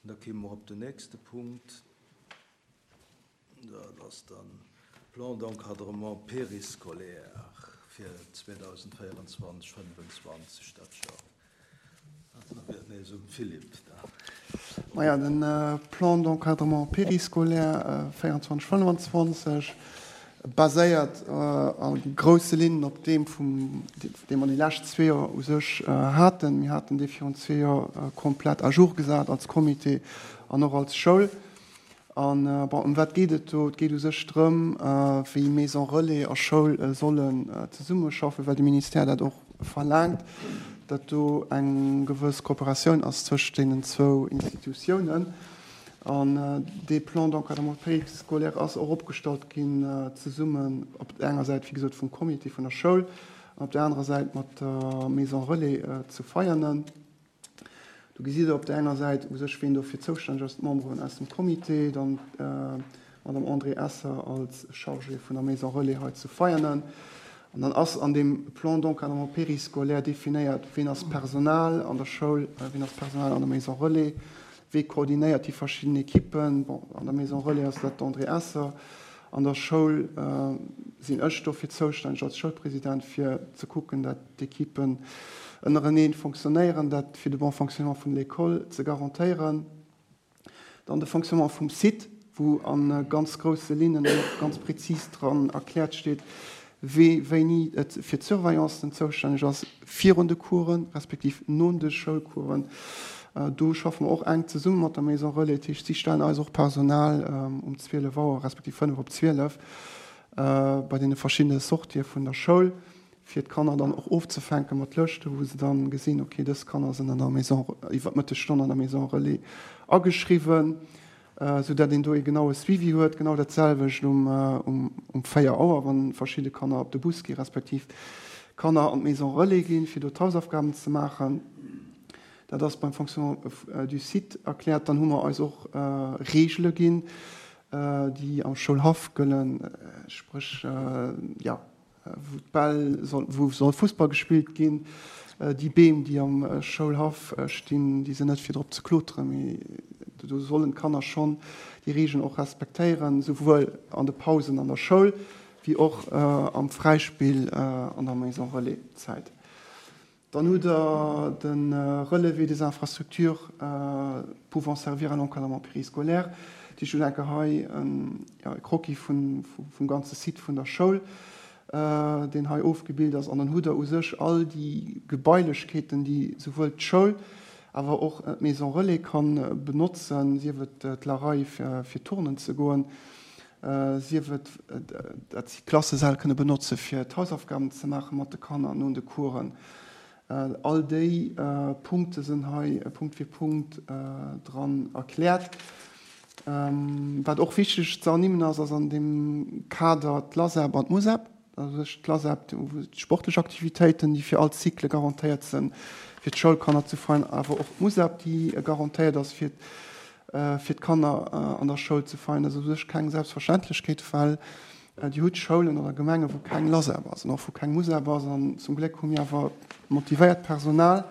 An da kéime mer op den nächste Punkt, dat ass dann Plan d'encadrement périscolaire fir 2024, 2025 dat Joer. Nees um Philippe da. Maja, de Plan d'encadrement périscolaire 24, 25 baséiert a grousse Linnen op deem vum, dee mer déi lescht zwee Joer u sech haten. Mir haten dee virun zwee Joer komplett à jour gesat als Comité an och als Schoul. An, bon, ëm wat geet et do? Et geet u sech drëm, wéi Maison relais a Schoul sollen zesummeschaffen, well de Ministère dat och verlaangt, datt do eng gewëss Kooperatioun ass zwëscht deenen zwou Institutiounen. An dee Plan d'encadrement périscolaire ass och opgestallt ginn zesummen op der enger Säit, wéi gesot, vum Comité vun der Schoul an op der anerer Säit mat der Maison relais zu Veianen. Do gesitt Der op där enger Säit u sech, wien dofir zoustänneg ass, d'Memberen aus dem Comité, dann d'Madame Andrée Esser als Chargée vun der Maison Relais hei zu Veianen. An dann ass an deem Plan d'encadrement périscolaire definéiert, wien ass Personal an der Schoul, wien ass Personal an der Maison Relais, wee koordinéiert déi verschidden Ekippen. Bon, an der Maison Relais ass dat d'Andrée Esser, an der Schoul sinn ech dofir zoustänneg als Schoulpresident, fir ze kucken, dat d'Ekippen ënnereneen fonctionnéieren, dat fir de bon fonctionnement vun l'école ze garantéieren. Dann de Fonctionnement vum Site, wou a ganz grousse Linnen an och ganz prezis dran erkläert steet, wee wéini et fir d'Surveillancen zoustänneg ass virun de Coursen, respektiv no de Schoulcoursen. Do schaffe mer och enk zesumme mat der Maison Relais. Dat heescht, si stellen eis och Personal um 12 Auer, respektiv 5 op 12 bei deene verschiddene Sortië vun der Schoul, fir d'Kanner dann och ofzefänke mat Lëschten, wou se dann gesinn, okay, dës Kanner sinn an der Maison, iwwer d'Mëttesstonn an der Maison Relais ageschriwwen, sou dat een do ee genaue Suivi huet. Genau dat selwecht um um 4 Auer, wann verschidde Kanner op de Bus gi respektiv Kanner an d'Maison Relais ginn, fir do d'Hausaufgaben ze maachen. Dat ass beim Fonctionnement du site erkläert. Dann hu mer eis och Reegele ginn, déi am Schoulhaff gëllen, spréch, jo, wou d'Bäll soll, wou soll Fussball gespillt ginn. Déi Beem, déi am Schoulhaff stinn, déi sinn net fir drop ze kloteren, mee do sollen d'Kanner schonn déi Regeln och respektéieren, souwuel an de Pausen an der Schoul wéi och am Fräispill an der Maison Relais Zäit. Dann hutt Der de Relevé des infrastructures pouvant servir à l'encadrement périscolaire. Dat heescht, ech hunn enke hei e Croquis vum ganze Site vun der Schoul, deen hei ofgebilt ass. An dann hutt Der u sech all déi Gebailechkeeten, déi souwuel d'Schoul, awer och d'Maison Relais ka benotzen, sief et d'Larei fir turnen ze goen, sief et dat si d'Klassesäll kënne benotze fir d'Hausaufgaben ze maache mat de Kanner no de Coursen. All déi Punkte sinn hei Punkt fir Punkt dran erkläert. Wat och wichteg ze ernimmen ass, ass an deem Kader d'LASEP an d'MUSEP. Also sech d'LASEP, wou d'sportlech Aktivitéiten, déi fir all Cycle garantéiert sinn, fir d'Schoulkanner ze freien, awer och d'MUSEP, déi garantéiert ass fir fir d'Kanner an der Schoul ze feien. Dat ass u sech keng Selbstverständlechkeet, well Dir hutt Schoulen oder Gemengen, wou keng LASEP ass an och wou keng MUSEP ass. An zum Gléck hu mir awer motivéiert Personal,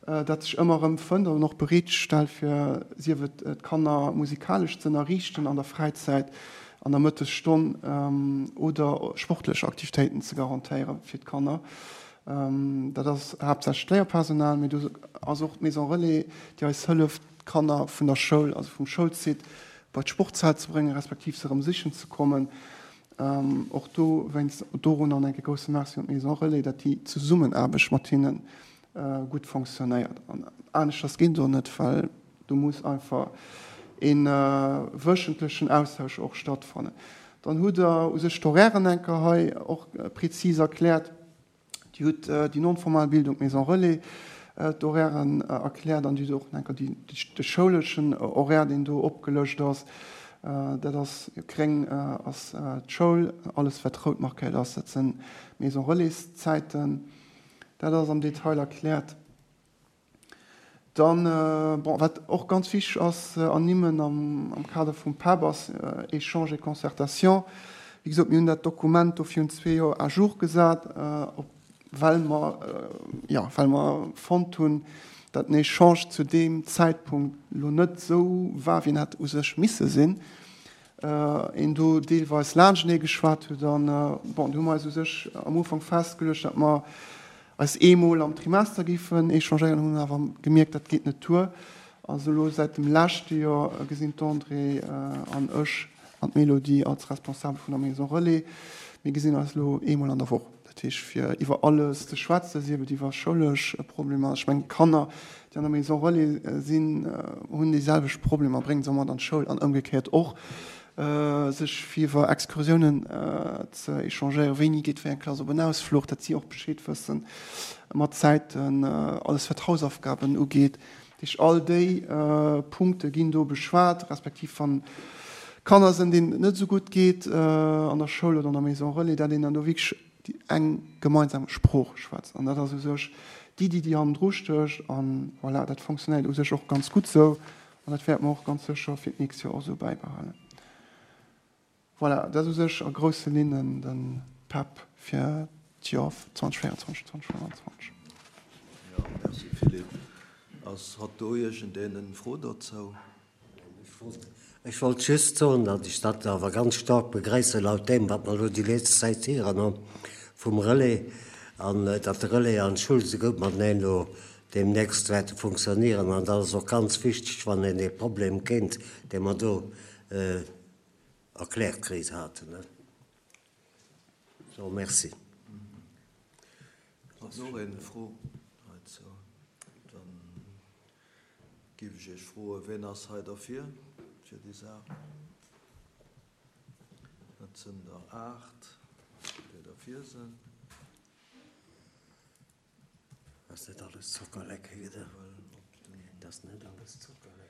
dat sech ëmmer erëm fënnt an och bereet stellt, fir sief et d'Kanner musikalesch ze ënnerriichten an der Fräizäit, an der Mëttesstonn oder sportlech Aktivitéiten ze garantéiere fir d'Kanner. Dat ass haaptsächlech d'Léierpersonal, mee do ass och d'Maison Relais, déi eis hëlleft, d'Kanner vun der Schoul, also vum Schoulsite, bei d'Sportshal ze bréngen, respektiv se erëm sichen ze kommen. Och dowéinst dorunner an enke grousse Merci un d'Maison Relais, datt déi Zesummenaarbecht mat hinne gutt fonctionnéiert. An aneschters geet et och net, well do muss einfach e wöchentlechen Austausch och stattfannen. Dann hutt Der u sech d'Horairen enker hei och prezis erkläert. Dir hutt déi non-formal Bildung, d'Maison Relais, d'Horairen erkläert an Dir hutt och enker de schouleschen Horaire, deen do opgelëscht ass. Dat ass, gréng ass d'Schoul, alles wat rout markéiert ass, dat sinn d'Maison Relais-Zäiten. Dat ass am Detail erkläert. Dann, bon, wat och ganz wichteg ass ze ernimmen am Kader vum PEP, ass Échange et concertation. Wéi gesot, mir hunn dat Dokument do virun zwee Joer à jour gesat, well mer, jo, well mer fonnt hunn, datt den Echange zu deem Zäitpunkt elo net esou war, wéi en hätt u sech misse sinn, een do deelweis laanschtenee geschwat huet. An, bon, do hu mer eis u sech am Ufank festgeluecht, datt mer eis eemol am Trimester géifen échangéieren, hunn awer gemierkt, dat geet net duer. Also elo säit dem leschte Joer gesinn d'Andrée an ech an d'Mélodie als Responsabel vun der Maison Relais, mir gesinn eis elo eemol an der Woch. Dat heescht fir iwwer alles ze schwätzen, sief et iwwer schoulesch Problemer. Ech mengen d'Kanner, déi an der Maison Relais sinn, hunn déi selwecht Problemer, bréngen se och mat an d'Schoul an ëmgekéiert och. Sech fir iwwer Excursiounen ze échangéieren, wéini geet wéi eng Klass op en Ausfluch, datt si och Bescheed wëssen mat Zäiten, alles wat Hausaufgaben ugeet. Dat heescht, all déi Punkte ginn do beschwat, respektiv wann Kanner sinn, deenen et net esou gutt geet an der Schoul oder an der Maison Relais, datt een dann do wierklech eng gemeinsam Sprooch schwätzt. An dat ass u sech d'Iddi, déi hannendru stécht. An voilà, dat fonctionnéiert u sech och ganz gutt esou. An dat wäerte mer och ganz sécher fir d'nächst Joer och esou bäibehalen. Voilà, dat ass u sech a grousse Linnen de PEP fir d'Joer 2024, 2025. Jo, merci Philippe. Ass hat do iergendeen en Fro dozou? Ech wollt just soen, datt ech dat awer ganz staark begréissen, laut deem, wat mer elo déi letzt Zäit héieren hu vum Relais, an datt de Relais an d'Schoul esou gutt mateneen elo deemnächst wäerte funktionieren. An dat ass och ganz wichteg, wann een ee Problem kéint, dee mer do erkläert kritt haten. So, merci. Ass och een Fro heizou? Dann géif ech Iech froen, ween ass hei derfir, fir déi Saach? Dat sinn der 8, déi derfir sinn. Ass net alles Zockerlecke, gell? Dat ass net alles Zockerlecke.